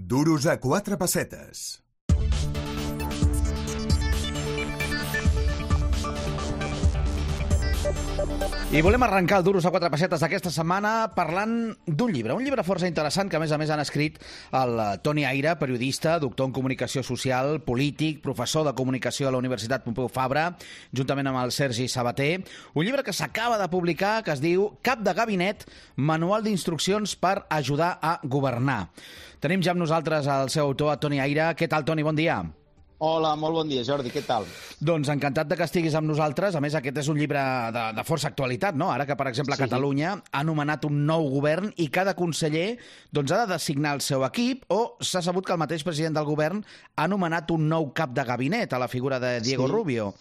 Duros a 4 pessetes. I volem arrencar el Duros a 4 pessetes d'aquesta setmana parlant d'un llibre força interessant que a més han escrit el Toni Aira, periodista, doctor en comunicació social, polític, professor de comunicació a la Universitat Pompeu Fabra, juntament amb el Sergi Sabater. Un llibre que s'acaba de publicar que es diu Cap de gabinet, manual d'instruccions per ajudar a governar. Tenim ja amb nosaltres el seu autor, Toni Aira. Què tal, Toni? Bon dia. Hola, molt bon dia, Jordi. Què tal? Doncs encantat de que estiguis amb nosaltres. A més, aquest és un llibre de força actualitat, no? Ara que, per exemple, Catalunya ha nomenat un nou govern i cada conseller ha de designar el seu equip, o s'ha sabut que el mateix president del govern ha nomenat un nou cap de gabinet a la figura de Diego Rubio.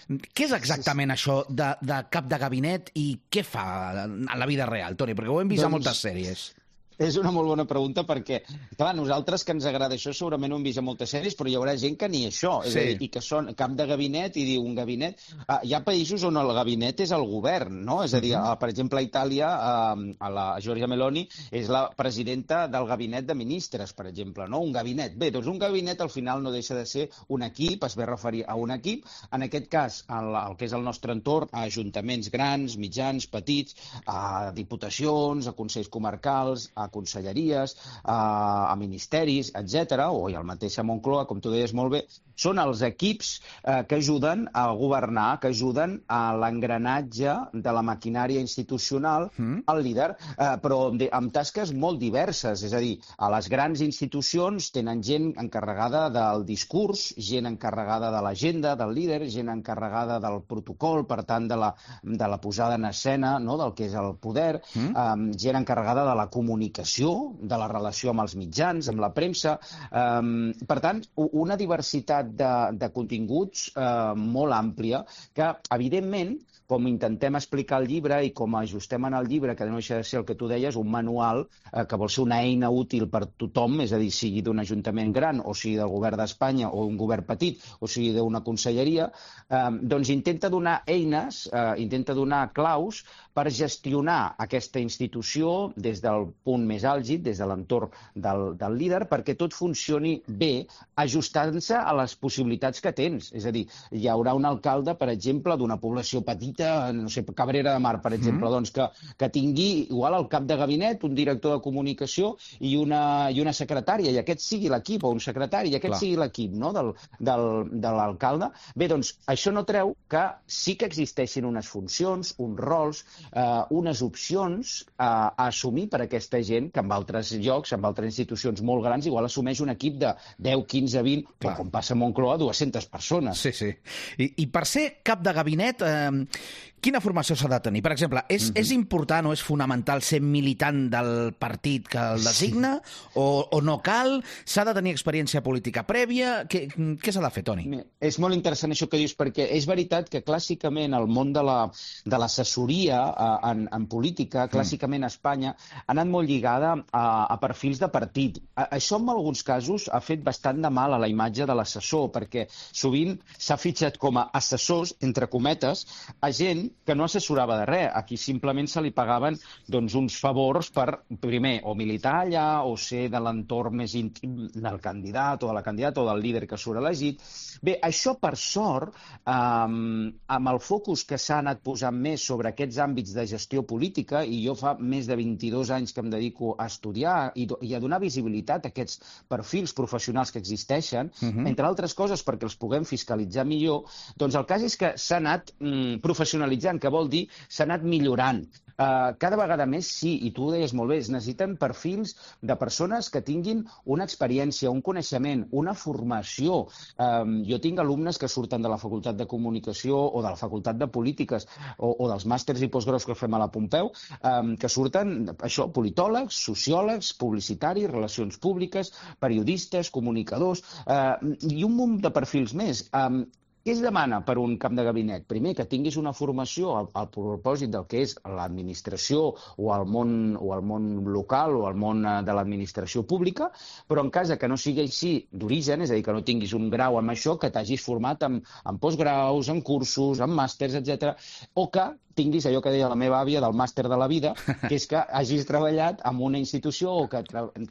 Què és exactament això de cap de gabinet i què fa en la vida real, Toni? Perquè ho hem vist a moltes sèries. És una molt bona pregunta perquè, clar, nosaltres que ens agrada això segurament ho hem vist a moltes sèries, però hi haurà gent que ni això, és a dir, i que són cap de gabinet i diu un gabinet. Hi ha països on el gabinet és el govern, no? És a dir, per exemple, a Itàlia, la Giorgia Meloni és la presidenta del gabinet de ministres, per exemple, no? Un gabinet. Bé, doncs un gabinet al final no deixa de ser un equip, es ve a referir a un equip. En aquest cas, el que és el nostre entorn, a ajuntaments grans, mitjans, petits, a diputacions, a consells comarcals, a conselleries, a ministeris, etc., o i el mateix a Moncloa, com tu deies molt bé, són els equips que ajuden a governar, que ajuden a l'engranatge de la maquinària institucional al líder, però amb tasques molt diverses. És a dir, a les grans institucions tenen gent encarregada del discurs, gent encarregada de l'agenda del líder, gent encarregada del protocol, per tant, de la posada en escena, no?, del que és el poder, gent encarregada de la comunicació, de la relació amb els mitjans, amb la premsa. Per tant, una diversitat de continguts molt àmplia que, evidentment, com intentem explicar el llibre i com ajustem en el llibre, que no deixa de ser el que tu deies, un manual que vol ser una eina útil per tothom, és a dir, sigui d'un ajuntament gran o sigui del govern d'Espanya o un govern petit o sigui d'una conselleria, doncs intenta donar eines, intenta donar claus per gestionar aquesta institució des del punt més àlgid, des de l'entorn del líder, perquè tot funcioni bé, ajustant-se a les possibilitats que tens. És a dir, hi haurà un alcalde, per exemple, d'una població petita, no sé, Cabrera de Mar, per exemple, doncs que tingui igual al cap de gabinet un director de comunicació i una secretària, i aquest sigui l'equip, o un secretari, i aquest sigui l'equip, no?, de l'alcalde. Bé, doncs això no treu que sí que existeixin unes funcions, uns rols, unes opcions a assumir per aquesta gent que en altres llocs, en altres institucions molt grans, igual assumeix un equip de 10, 15, 20, o com passa a Moncloa, 200 persones. Sí, sí. I per ser cap de gabinet, quina formació s'ha de tenir? Per exemple, és important o és fonamental ser militant del partit que el designa o no cal? S'ha de tenir experiència política prèvia? Què s'ha de fer, Toni? És molt interessant això que dius, perquè és veritat que clàssicament el món de l'assessoria en política, clàssicament a Espanya, ha anat molt lligada a perfils de partit. Això en alguns casos ha fet bastant de mal a la imatge de l'assessor, perquè sovint s'ha fitxat com a assessors, entre cometes, a gent que no assessorava de res, a qui simplement se li pagaven uns favors per, primer, o militar allà, o ser de l'entorn més íntim del candidat o de la candidata o del líder que surt elegit. Bé, això, per sort, amb el focus que s'ha anat posant més sobre aquests àmbits de gestió política, i jo fa més de 22 anys que em dedico a estudiar i a donar visibilitat a aquests perfils professionals que existeixen, entre altres coses perquè els puguem fiscalitzar millor, doncs el cas és que s'ha anat professionalitzant, que vol dir s'ha anat millorant. Cada vegada més, sí, i tu ho deies molt bé, es necessiten perfils de persones que tinguin una experiència, un coneixement, una formació. Jo tinc alumnes que surten de la Facultat de Comunicació o de la Facultat de Polítiques o dels màsters i postgraus que fem a la Pompeu, que surten, això, politòlegs, sociòlegs, publicitaris, relacions públiques, periodistes, comunicadors, i un munt de perfils més. Què es demana per un cap de gabinet? Primer, que tinguis una formació al propòsit del que és l'administració o el món local o el món de l'administració pública, però en cas que no sigui així d'origen, és a dir, que no tinguis un grau en això, que t'hagis format en postgraus, en cursos, en màsters, etc, o que tinguis allò que deia la meva àvia del màster de la vida, que és que hagis treballat en una institució o que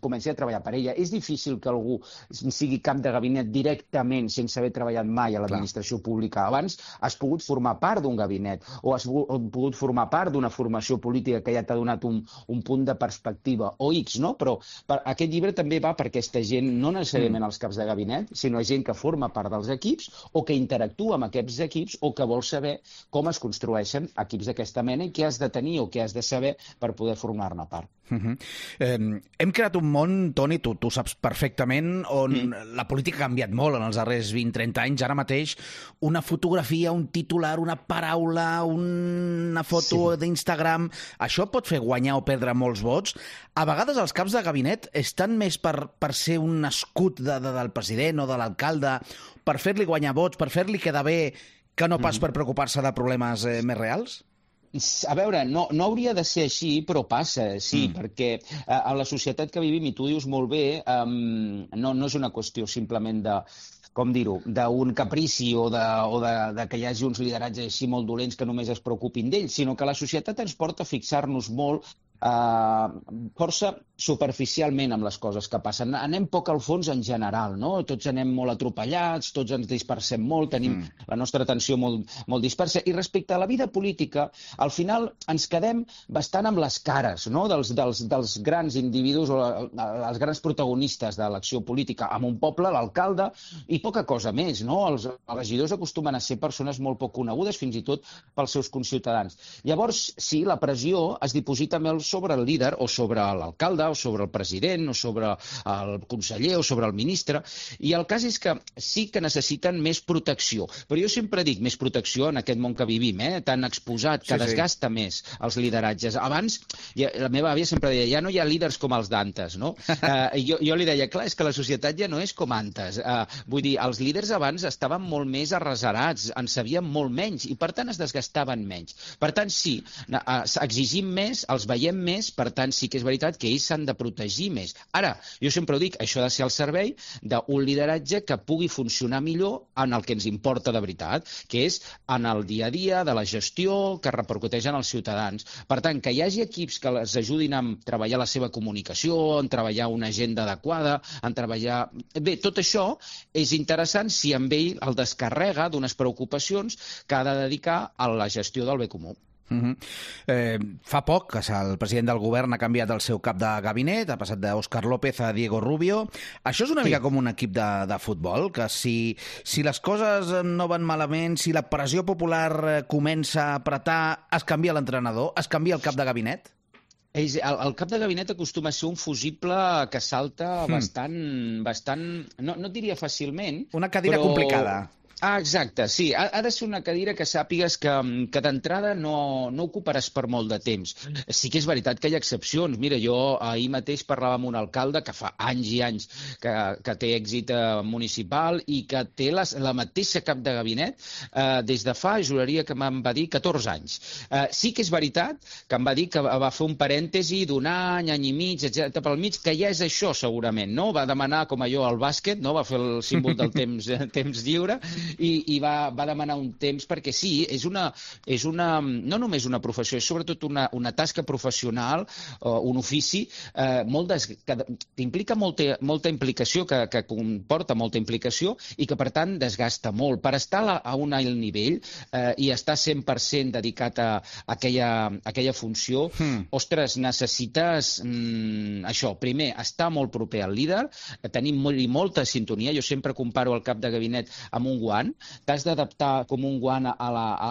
comenci a treballar per ella. És difícil que algú sigui cap de gabinet directament sense haver treballat mai a l'administració pública. Abans has pogut formar part d'un gabinet o has pogut formar part d'una formació política que ja t'ha donat un punt de perspectiva o X, no? Però aquest llibre també va per aquesta gent, no necessàriament els caps de gabinet, sinó gent que forma part dels equips o que interactua amb aquests equips o que vol saber com es construeixen equips d'aquesta mena i què has de tenir o què has de saber per poder formar-ne part. Hem creat un món, Toni, tu saps perfectament, on la política ha canviat molt en els darrers 20-30 anys. Ara mateix una fotografia, un titular, una paraula, una foto d'Instagram, això pot fer guanyar o perdre molts vots. A vegades els caps de gabinet estan més per ser un escut del president o de l'alcalde, per fer-li guanyar vots, per fer-li quedar bé, que no pas per preocupar-se de problemes més reals? A veure, no hauria de ser així, però passa, sí, perquè a la societat que vivim, i tu dius molt bé, no és una qüestió simplement de, com dir-ho, d'un caprici o de que hi hagi uns lideratges així molt dolents que només es preocupin d'ells, sinó que la societat ens porta a fixar-nos molt força superficialment amb les coses que passen. Anem poc al fons en general, no? Tots anem molt atropellats, tots ens dispersem molt, tenim la nostra atenció molt dispersa. I respecte a la vida política, al final ens quedem bastant amb les cares, no? dels grans individus o els grans protagonistes de l'acció política. En un poble, l'alcalde, i poca cosa més, no? Els regidors acostumen a ser persones molt poc conegudes, fins i tot pels seus conciutadans. Llavors, sí, la pressió es diposita més sobre el líder o sobre l'alcalde o sobre el president o sobre el conseller o sobre el ministre, i el cas és que sí que necessiten més protecció. Però jo sempre dic més protecció en aquest món que vivim, tan exposat, que desgasta més els lideratges. Abans, la meva àvia sempre deia, ja no hi ha líders com els d'antes, no? Jo li deia, clar, és que la societat ja no és com antes. Vull dir, els líders abans estaven molt més arreserats, en sabien molt menys i, per tant, es desgastaven menys. Per tant, sí, exigim més, els veiem més, per tant, sí que és veritat que ells s'han de protegir més. Ara, jo sempre ho dic, això ha de ser al servei d'un lideratge que pugui funcionar millor en el que ens importa de veritat, que és en el dia a dia de la gestió que repercuteix en els ciutadans. Per tant, que hi hagi equips que les ajudin a treballar la seva comunicació, en treballar una agenda adequada, en treballar... Bé, tot això és interessant si amb ell el descarrega d'unes preocupacions que ha de dedicar a la gestió del bé comú. Fa poc que el president del govern ha canviat el seu cap de gabinet, ha passat d'Òscar López a Diego Rubio. Això és una mica com un equip de futbol, que si les coses no van malament, si la pressió popular comença a apretar, es canvia l'entrenador, es canvia el cap de gabinet? El cap de gabinet acostuma a ser un fusible que salta bastant, no et diria fàcilment... Una cadira complicada. Exacte, sí. Ha de ser una cadira que sàpigues que d'entrada no ocuparàs per molt de temps. Sí que és veritat que hi ha excepcions. Mira, jo ahir mateix parlava amb un alcalde que fa anys i anys que té èxit municipal i que té la mateixa cap de gabinet des de fa, juraria que me'n va dir, 14 anys. Sí que és veritat que em va dir que va fer un parèntesi d'un any i mig, etc. pel mig, que ja és això segurament, no? Va demanar, com allò, al bàsquet, no? Va fer el símbol del temps lliure, i va demanar un temps perquè sí, és una no només una professió, és sobretot una tasca professional, un ofici que implica molta implicació, que comporta molta implicació i que per tant desgasta molt. Per estar a un alt nivell i estar 100% dedicat a aquella funció, ostres, necessites això, primer, estar molt proper al líder, tenir molta sintonia. Jo sempre comparo el cap de gabinet amb un guant. T'has d'adaptar com un guant a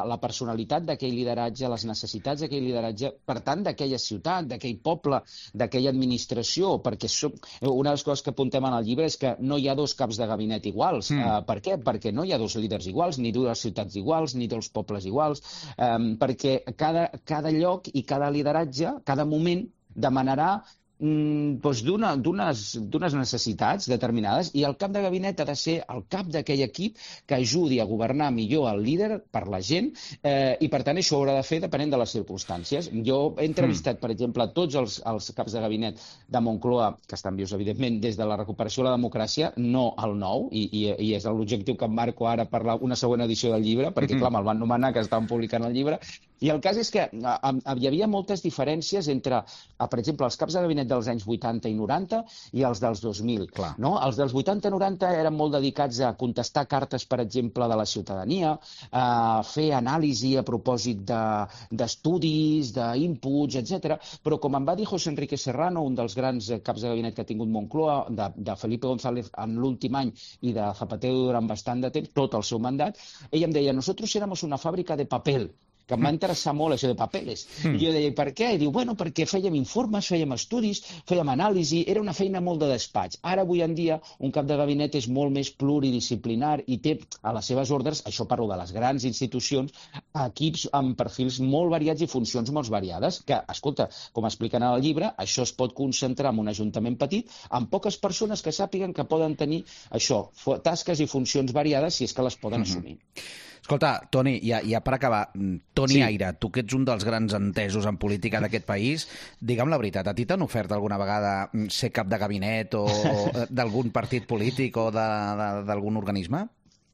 la personalitat d'aquell lideratge, a les necessitats d'aquell lideratge, per tant, d'aquella ciutat, d'aquell poble, d'aquella administració, perquè una de les coses que apuntem en el llibre és que no hi ha dos caps de gabinet iguals. Per què? Perquè no hi ha dos líders iguals, ni dues ciutats iguals, ni dos pobles iguals, perquè cada lloc i cada lideratge, cada moment, demanarà doncs d'unes necessitats determinades, i el cap de gabinet ha de ser el cap d'aquell equip que ajudi a governar millor el líder per la gent, i per tant això ho haurà de fer depenent de les circumstàncies. Jo he entrevistat, per exemple, tots els caps de gabinet de Moncloa, que estan vius, evidentment, des de la recuperació de la democràcia, no el nou, i és l'objectiu que em marco ara per una següent edició del llibre, perquè, clar, me'l van nomenar que estaven publicant el llibre, i el cas és que hi havia moltes diferències entre, per exemple, els caps de gabinet dels anys 80 i 90 i els dels 2000. No? Els dels 80-90 eren molt dedicats a contestar cartes, per exemple, de la ciutadania, a fer anàlisi a propòsit d'estudis, d'inputs, etc. Però, com em va dir José Enrique Serrano, un dels grans caps de gabinet que ha tingut Moncloa, de Felipe González en l'últim any i de Zapatero durant bastant de temps, tot el seu mandat, ell em deia: nosotros éramos una fábrica de papel, que em va interessar molt això de papeles. I jo deia: per què? I diu: bueno, perquè fèiem informes, fèiem estudis, fèiem anàlisi, era una feina molt de despatx. Ara, avui en dia, un cap de gabinet és molt més pluridisciplinar i té a les seves ordres, això parlo de les grans institucions, equips amb perfils molt variats i funcions molt variades, que, escolta, com expliquen al llibre, això es pot concentrar en un ajuntament petit, amb poques persones que sàpiguen que poden tenir això, tasques i funcions variades, si és que les poden assumir. Escolta, Toni, ja per acabar, Toni Aira, tu que ets un dels grans entesos en política d'aquest país, digue'm la veritat, a ti t'han ofert alguna vegada ser cap de gabinet o d'algun partit polític o d'algun organisme?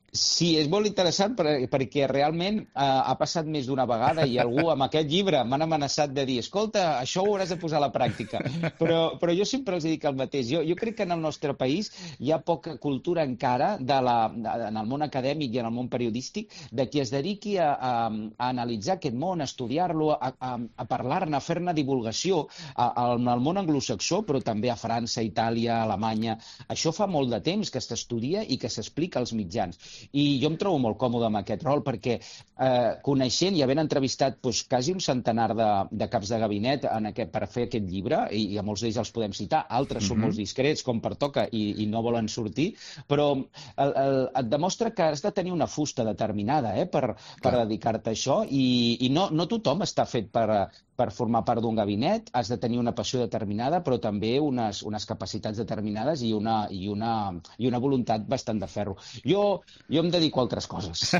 Sí, és molt interessant perquè realment ha passat més d'una vegada i algú amb aquest llibre m'han amenaçat de dir: escolta, això ho hauràs de posar a la pràctica. Però jo sempre els dic el mateix. Jo crec que en el nostre país hi ha poca cultura encara en el món acadèmic i en el món periodístic de qui es dediqui a analitzar aquest món, a estudiar-lo, a parlar-ne, a fer-ne divulgació al món anglosaxó, però també a França, Itàlia, Alemanya. Això fa molt de temps que s'estudia i que s'explica als mitjans. I jo em trobo molt còmode amb aquest rol perquè coneixent i havent entrevistat quasi un centenar de caps de gabinet per fer aquest llibre, i a molts d'ells els podem citar, altres són molt discrets, com pertoca, i no volen sortir, però et demostra que has de tenir una fusta determinada per dedicar-te a això, i no tothom està fet per formar part d'un gabinet, has de tenir una passió determinada, però també unes capacitats determinades i una voluntat bastant de ferro. Jo em dedico a altres coses.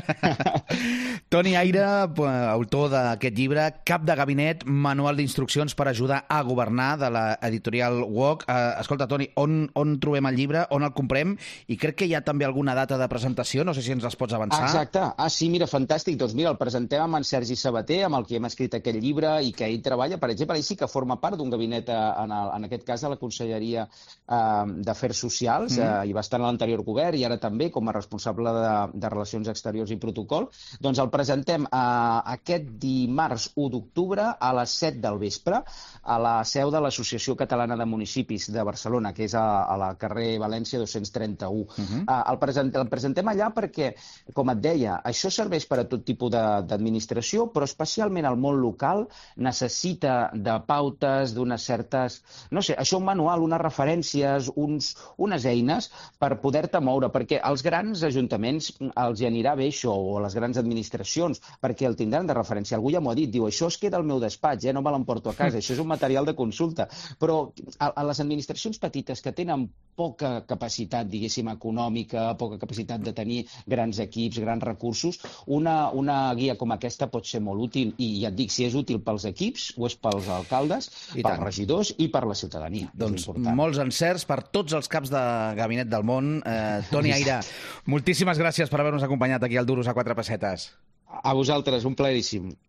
Toni Aira, autor d'aquest llibre, Cap de gabinet, manual d'instruccions per ajudar a governar, de l'editorial UOC. Escolta, Toni, on trobem el llibre, on el comprem? I crec que hi ha també alguna data de presentació, no sé si ens les pots avançar. Exacte. Sí, mira, fantàstic. Doncs mira, el presentem amb en Sergi Sabater, amb el que hem escrit aquest llibre i que ell treballa, per exemple, ell sí que forma part d'un gabinet, en aquest cas de la Conselleria d'Afers Socials, i va estar en l'anterior govern i ara també com a responsable de Relacions Exteriors i Protocol. Doncs el presentem aquest dimarts 1 d'octubre a les 7 del vespre a la seu de l'Associació Catalana de Municipis de Barcelona, que és a la carrer València 231. El presentem allà perquè, com et deia, això serveix per a tot tipus d'administració, però especialment el món local necessita de pautes, d'unes certes... No sé, això un manual, unes referències, unes eines per poder-te moure, perquè als grans ajuntaments els hi anirà bé això, o a les grans administracions, perquè el tindran de referència. Algú ja m'ho ha dit, diu: això es queda al meu despatx, no me l'emporto a casa, això és un material de consulta. Però a les administracions petites que tenen poca capacitat, diguéssim, econòmica, poca capacitat de tenir grans equips, grans recursos, una guia com aquesta pot ser molt útil, i ja et dic, si és útil pels equips, ho és pels alcaldes, pels regidors i per la ciutadania. Doncs molts encerts per tots els caps de gabinet del món. Toni Aira, moltíssimes gràcies per haver-nos acompanyat aquí al Duros a 4 pessetes. A vosaltres, un plaeríssim.